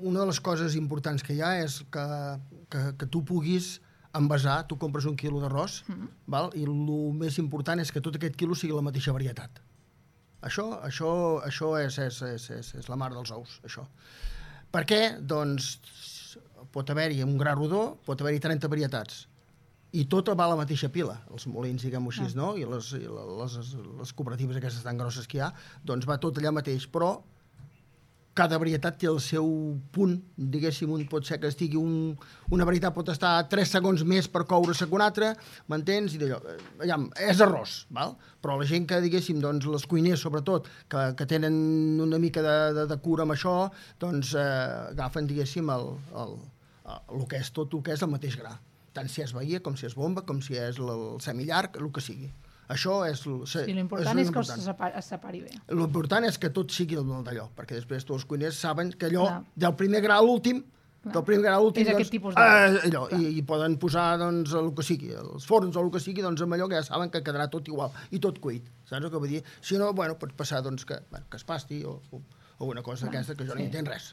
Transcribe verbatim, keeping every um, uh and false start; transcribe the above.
Una de les coses importants que hi ha és que, que, que tu puguis envasar, tu compres un quilo d'arròs, mm-hmm. val? I el més important és que tot aquest quilo sigui la mateixa varietat. Això, això, això és, és, és, és, és la mar dels ous, això. Per què? Doncs pot haver-hi un gra rodó, pot haver-hi trenta varietats. I tota va a la mateixa pila, els molins, diguem-ho així, no? I les, i les, les cooperatives aquestes tan grosses que hi ha, doncs va tot allà mateix, però cada varietat té el seu punt, diguéssim, un pot ser que estigui un, una varietat pot estar tres segons més per coure-se que una altra, m'entens? I d'allò, allà, és arròs, val? Però la gent que, diguéssim, doncs, les cuiners, sobretot, que, que tenen una mica de, de, de cura amb això, doncs eh, agafen, diguéssim, el, el, el, el que és tot el que és el mateix gra. Tant si és bahia, com si és bomba, com si és el semillarg, el que sigui. Això és... Sí, l'important és, és que es separi, es separi bé. L'important és que tot sigui d'allò, perquè després tots els cuiners saben que allò, Clar. del primer gra a l'últim, del primer gra a l'últim, és doncs, aquest tipus de... eh, allò, i, i poden posar, doncs, el que sigui, els forns o el que sigui, doncs, amb allò que ja saben que quedarà tot igual, i tot cuit. Saps el que vull dir? Si no, bueno, pot passar, doncs, que, bueno, que es pasti o, o, o una cosa Clar, aquesta que jo sí. no hi entenc res.